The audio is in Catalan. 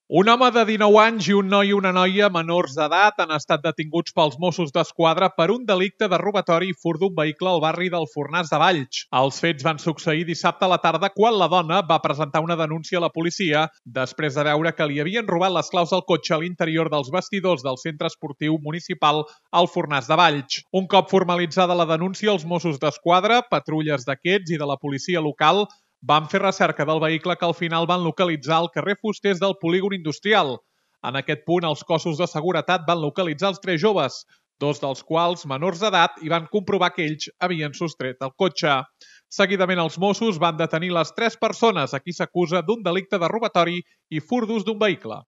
Un home de 19 anys i un noi i una noia menors d'edat han estat detinguts pels Mossos d'Esquadra per un delicte de robatori i fur d'un vehicle al barri del Fornàs de Valls. Els fets van succeir dissabte a la tarda quan la dona va presentar una denúncia a la policia després de veure que li havien robat les claus del cotxe a l'interior dels vestidors del centre esportiu municipal al Fornàs de Valls. Un cop formalitzada la denúncia, els Mossos d'Esquadra, patrulles d'aquests i de la policia local van fer recerca del vehicle que al final van localitzar al carrer Fusters del polígon industrial. En aquest punt, els cossos de seguretat van localitzar els 3 joves, 2 dels quals menors d'edat, i van comprovar que ells havien sostret el cotxe. Seguidament, els Mossos van detenir les 3 persones a qui s'acusa d'un delicte de robatori i fur d'ús d'un vehicle.